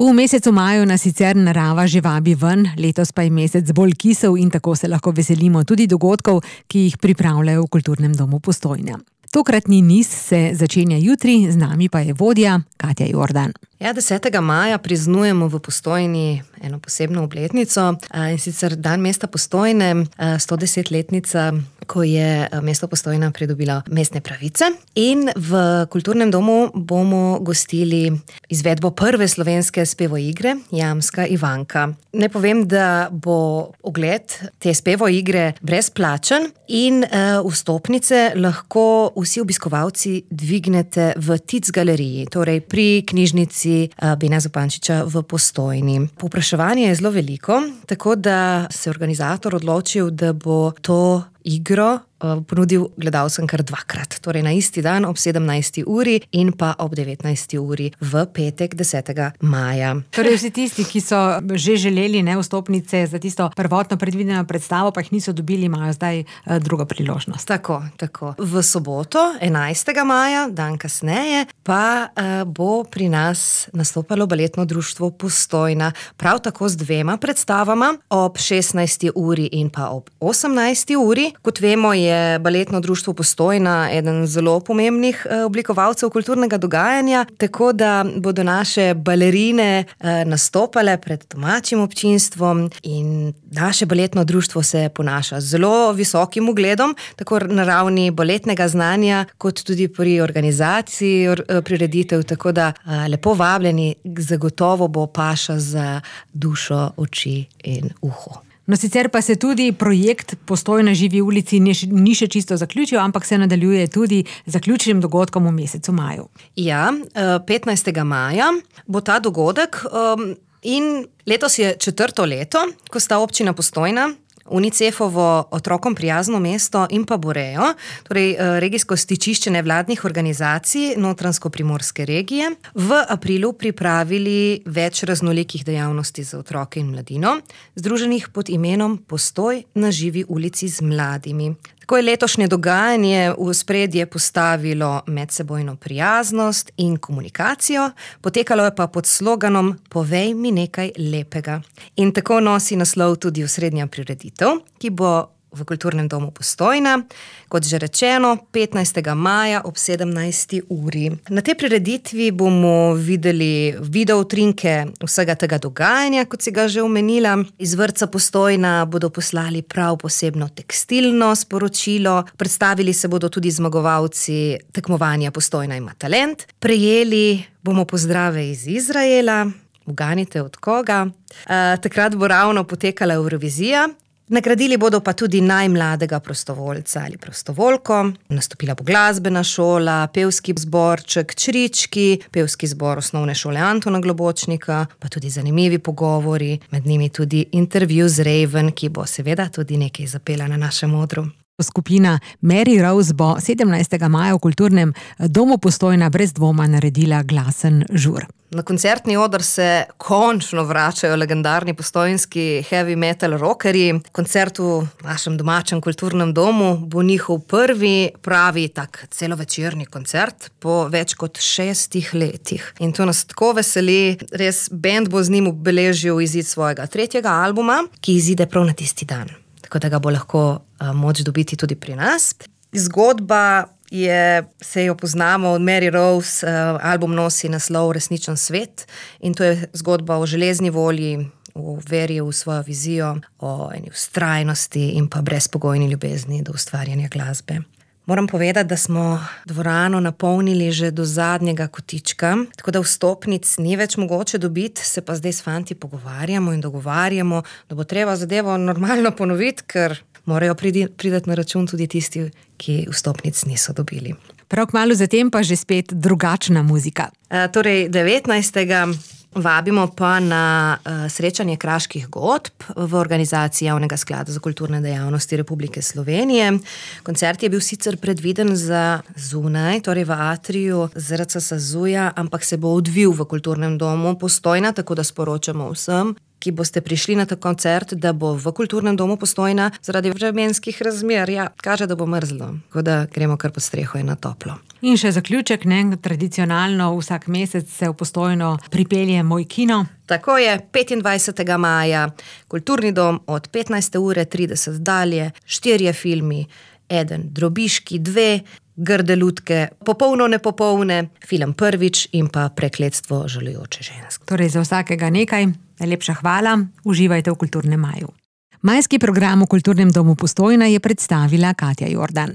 V mesecu maju nas sicer narava že vabi ven, letos pa je mesec bolj kisel in tako se lahko veselimo tudi dogodkov, ki jih pripravljajo v Kulturnem domu Postojna. Tokratni niz se začenja jutri, z nami pa je vodja Katja Jordan. 10. maja praznujemo v Postojni eno posebno obletnico, in sicer dan mesta Postojne, 110-letnica, ko je mesto Postojna pridobilo mestne pravice. In v Kulturnem domu bomo gostili izvedbo prve slovenske spevoigre Jamska Ivanka. Ne povem, da bo ogled te spevoigre brezplačen in vstopnice lahko vsi obiskovalci dvignete v Tic galeriji, torej pri knjižnici Bena Zupančiča v Postojni. Povpraševanje je zelo veliko, tako da se je organizator odločil, da bo to igro ponudil gledalcem kar dvakrat. Torej na isti dan ob 17. uri in pa ob 19. uri v petek 10. maja. Torej vsi tisti, ki so že želeli vstopnice za tisto prvotno predvideno predstavo, pa jih niso dobili, imajo zdaj drugo priložnost. Tako. V soboto, 11. maja, dan kasneje, pa bo pri nas nastopalo Baletno društvo Postojna, prav tako z dvema predstavama, ob 16. uri in pa ob 18. uri. Kot vemo, je Baletno društvo Postojna eden zelo pomembnih oblikovalcev kulturnega dogajanja, tako da bodo naše balerine nastopale pred domačim občinstvom in naše baletno društvo se ponaša z zelo visokim ugledom, tako na ravni baletnega znanja, kot tudi pri organizaciji prireditev, tako da lepo vabljeni, zagotovo bo paša za dušo, oči in uho. No, sicer pa se tudi projekt Postojna živi v ulici ni še čisto zaključil, ampak se nadaljuje tudi z zaključnim dogodkom v mesecu maju. Ja, 15. maja bo ta dogodek in letos je 4. leto, ko sta občina Postojna, Unicefovo otrokom prijazno mesto in pa Borejo, torej regijsko stičišče nevladnih organizacij Notranjsko-primorske regije, v aprilu pripravili več raznolikih dejavnosti za otroke in mladino, združenih pod imenom Postoj na živi ulici z mladimi. Tako je letošnje dogajanje v ospredje postavilo medsebojno prijaznost in komunikacijo, potekalo je pa pod sloganom Povej mi nekaj lepega. In tako nosi naslov tudi osrednja prireditev, ki bo v Kulturnem domu Postojna, kot že rečeno, 15. maja ob 17. uri. Na tej prireditvi bomo videli video utrinke vsega tega dogajanja, kot si ga že omenila. Iz vrtca Postojna bodo poslali prav posebno tekstilno sporočilo, predstavili se bodo tudi zmagovalci tekmovanja Postojna ima talent, prejeli bomo pozdrave iz Izraela, uganite od koga. Takrat bo ravno potekala Evrovizija. Nagradili bodo pa tudi najmladega prostovoljca ali prostovoljko, nastopila bo glasbena šola, pevski zborček Črički, pevski zbor osnovne šole Antona Globočnika, pa tudi zanimivi pogovori, med njimi tudi intervju z Raven, ki bo seveda tudi nekaj zapela na našem odru. Skupina Mary Rose bo 17. maja v Kulturnem domu Postojna brez dvoma naredila glasen žur. Na koncertni oder se končno vračajo legendarni postojnski heavy metal rockerji. Koncert v našem domačem kulturnem domu bo njihov prvi pravi tak celovečerni koncert po več kot 6 letih. In to nas tako veseli, res band bo z njim obeležil izid svojega 3. albuma, ki izide prav na tisti dan. Tako da ga bo lahko moč dobiti tudi pri nas. Zgodba se jo poznamo od Mary Rose, album nosi naslov Resničen svet in to je zgodba o železni volji, o veri v svojo vizijo, o eni vztrajnosti in pa brezpogojni ljubezni do ustvarjanja glasbe. Moram povedati, da smo dvorano napolnili že do zadnjega kotička, tako da vstopnic ni več mogoče dobiti, se pa zdaj s fanti pogovarjamo in dogovarjamo, da bo treba zadevo normalno ponoviti, ker morajo priti na račun tudi tisti, ki vstopnic niso dobili. Prav kmalu zatem pa že spet drugačna muzika. Torej 19. vabimo pa na srečanje kraških godb v organizaciji Javnega sklada za kulturne dejavnosti Republike Slovenije. Koncert je bil sicer predviden za zunaj, torej v atriju ZRC SAZU-ja, ampak se bo odvil v Kulturnem domu Postojna, tako da sporočamo vsem ki boste prišli na ta koncert, da bo v Kulturnem domu Postojna zaradi vremenskih razmer, kaže, da bo mrzlo, tako da gremo kar pod streho in na toplo. In še zaključek, tradicionalno vsak mesec se v Postojno pripelje Moj kino. Tako je, 25. maja, Kulturni dom od 15:30 dalje, 4 filmi, 1 Drobiški, 2 Grde lutke, popolno nepopolne, film Prvič in pa Prekletstvo žalujoče ženske. Torej za vsakega nekaj. Najlepša hvala, uživajte v Kulturnem maju. Majski program v Kulturnem domu Postojna je predstavila Katja Jordan.